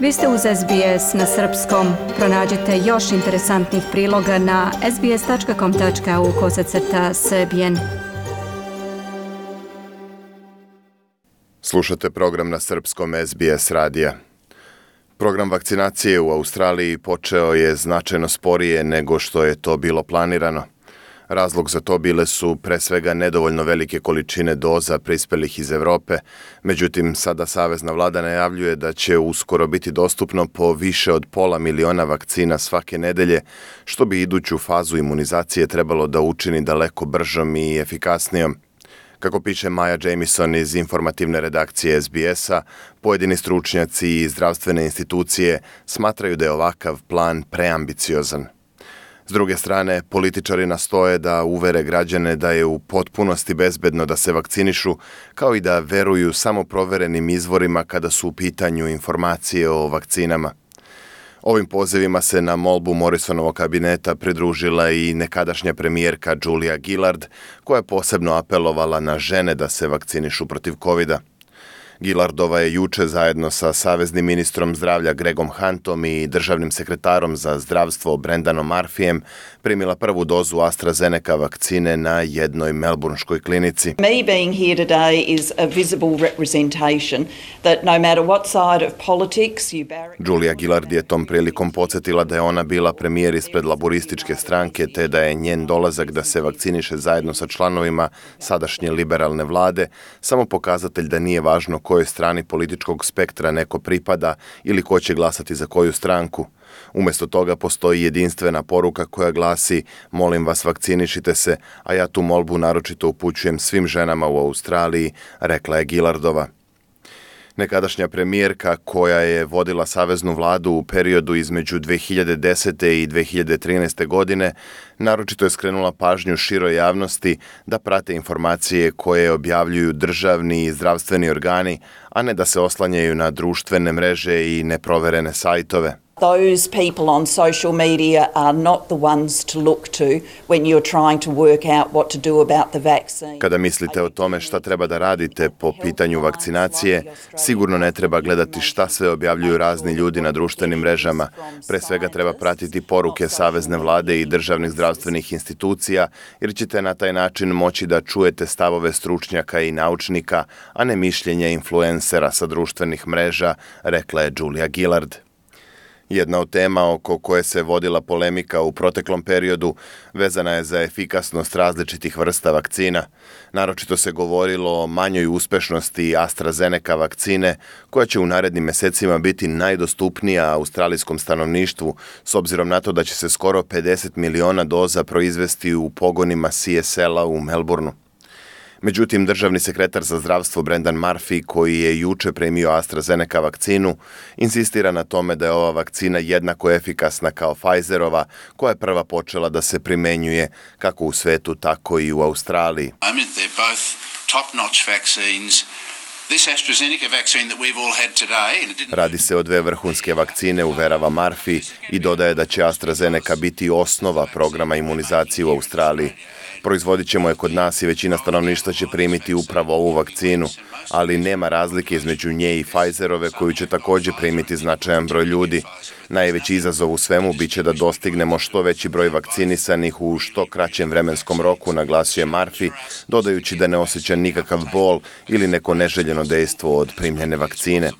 Vi ste uz SBS na srpskom. Pronađite još interesantnih priloga na sbs.com.au/srbijen. Slušate program na srpskom SBS radija. Program vakcinacije u Australiji počeo je značajno sporije nego što je to bilo planirano. Razlog za to bile su pre svega nedovoljno velike količine doza prispelih iz Evrope, međutim sada savezna vlada najavljuje da će uskoro biti dostupno po više od 500.000 vakcina svake nedelje, što bi iduću fazu imunizacije trebalo da učini daleko bržom i efikasnijom. Kako piše Maja Jamieson iz informativne redakcije SBS-a, pojedini stručnjaci i zdravstvene institucije smatraju da je ovakav plan preambiciozan. S druge strane, političari nastoje da uvere građane da je u potpunosti bezbedno da se vakcinišu, kao i da veruju samo proverenim izvorima kada su u pitanju informacije o vakcinama. Ovim pozivima se na molbu Morrisonovog kabineta pridružila i nekadašnja premijerka Julia Gillard, koja je posebno apelovala na žene da se vakcinišu protiv covida. Gillardova je juče zajedno sa saveznim ministrom zdravlja Gregom Huntom i državnim sekretarom za zdravstvo Brendanom Murphyjem primila prvu dozu AstraZeneca vakcine na jednoj melbourneškoj klinici. Me being here today is a visible representation that no matter what side of politics you barrack... Julia Gillard je tom prilikom podsjetila da je ona bila premijer ispred laborističke stranke, te da je njen dolazak da se vakciniše zajedno sa članovima sadašnje liberalne vlade samo pokazatelj da nije važno kojoj strani političkog spektra neko pripada ili ko će glasati za koju stranku. Umjesto toga postoji jedinstvena poruka koja glasi: molim vas, vakcinišite se, a ja tu molbu naročito upućujem svim ženama u Australiji, rekla je Gillardova. Nekadašnja premijerka koja je vodila saveznu vladu u periodu između 2010. i 2013. godine, naročito je skrenula pažnju široj javnosti da prate informacije koje objavljuju državni i zdravstveni organi, a ne da se oslanjaju na društvene mreže i neproverene sajtove. Those people on social media are not the ones to look to when you're trying to work out what to do about the vaccine. Kada mislite o tome šta treba da radite po pitanju vakcinacije, sigurno ne treba gledati šta sve objavljuju razni ljudi na društvenim mrežama. Pre svega treba pratiti poruke savezne vlade i državnih zdravstvenih institucija, jer ćete na taj način moći da čujete stavove stručnjaka i naučnika, a ne mišljenje influencera sa društvenih mreža, rekla je Julia Gillard. Jedna od tema oko koje se vodila polemika u proteklom periodu vezana je za efikasnost različitih vrsta vakcina. Naročito se govorilo o manjoj uspešnosti AstraZeneca vakcine, koja će u narednim mesecima biti najdostupnija australijskom stanovništvu, s obzirom na to da će se skoro 50 miliona doza proizvesti u pogonima CSL-a u Melbourneu. Međutim, državni sekretar za zdravstvo Brendan Murphy, koji je juče premio AstraZeneca vakcinu, insistira na tome da je ova vakcina jednako efikasna kao Pfizerova, koja je prva počela da se primenjuje kako u svetu, tako i u Australiji. Radi se o dve vrhunske vakcine, uverava Murphy, i dodaje da će AstraZeneca biti osnova programa imunizacije u Australiji. Proizvodit ćemo je kod nas i većina stanovništva će primiti upravo ovu vakcinu, ali nema razlike između nje i Pfizerove, koju će također primiti značajan broj ljudi. Najveći izazov u svemu biće da dostignemo što veći broj vakcinisanih u što kraćem vremenskom roku, naglasio je Murphy, dodajući da ne osjeća nikakav bol ili neko neželjeno dejstvo od primljene vakcine.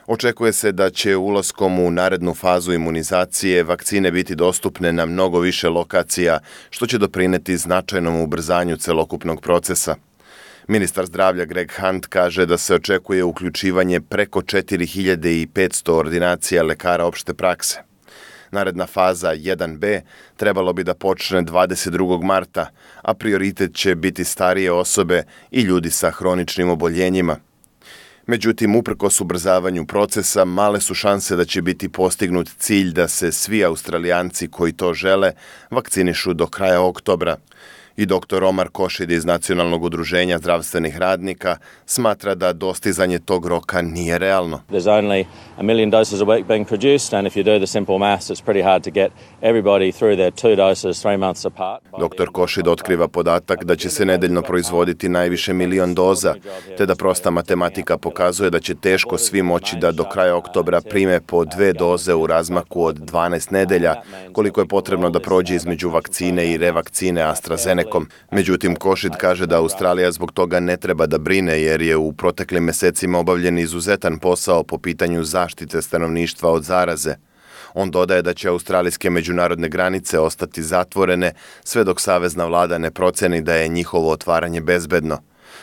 Očekuje se da će ulaskom u narednu fazu imunizacije vakcine biti dostupne na mnogo više lokacija, što će doprineti značajnom ubrzanju celokupnog procesa. Ministar zdravlja Greg Hunt kaže da se očekuje uključivanje preko 4500 ordinacija lekara opšte prakse. Naredna faza 1B trebalo bi da počne 22. marta, a prioritet će biti starije osobe i ljudi sa hroničnim oboljenjima. Međutim, uprkos ubrzavanju procesa, male su šanse da će biti postignut cilj da se svi Australijanci koji to žele vakcinišu do kraja oktobra. I dr. Omar Košid iz Nacionalnog udruženja zdravstvenih radnika smatra da dostizanje tog roka nije realno. There's only 1 million doses a week being produced, and if you do the simple maths, it's pretty hard to get everybody through their 2 doses 3 months apart. Dr. Košid otkriva podatak da će se nedeljno proizvoditi najviše 1 milion doza, te da prosta matematika pokazuje da će teško svi moći da do kraja oktobra prime po 2 doze u razmaku od 12 nedelja, koliko je potrebno da prođe između vakcine i revakcine AstraZeneca. Međutim, Košid kaže da Australija zbog toga ne treba da brine jer je u proteklim mesecima obavljen izuzetan posao po pitanju zaštite stanovništva od zaraze. On dodaje da će australijske međunarodne granice ostati zatvorene sve dok savezna vlada ne proceni da je njihovo otvaranje bezbedno.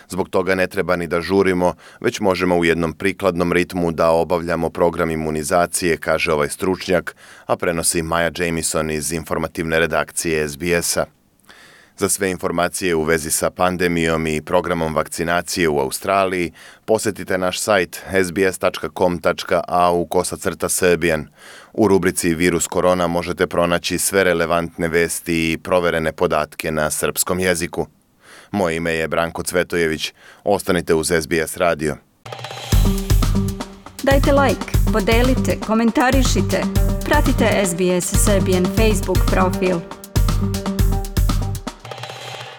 Zbog toga ne treba ni da žurimo, već možemo u jednom prikladnom ritmu da obavljamo program imunizacije, kaže ovaj stručnjak, a prenosi Maja Jamieson iz informativne redakcije SBS-a. Za sve informacije u vezi sa pandemijom i programom vakcinacije u Australiji, posjetite naš sajt sbs.com.au/serbian. U rubrici Virus korona možete pronaći sve relevantne vesti i proverene podatke na srpskom jeziku. Moje ime je Branko Cvetojević. Ostanite uz SBS radio. Dajte like, podelite, komentarišite. Pratite SBS Serbian Facebook profil.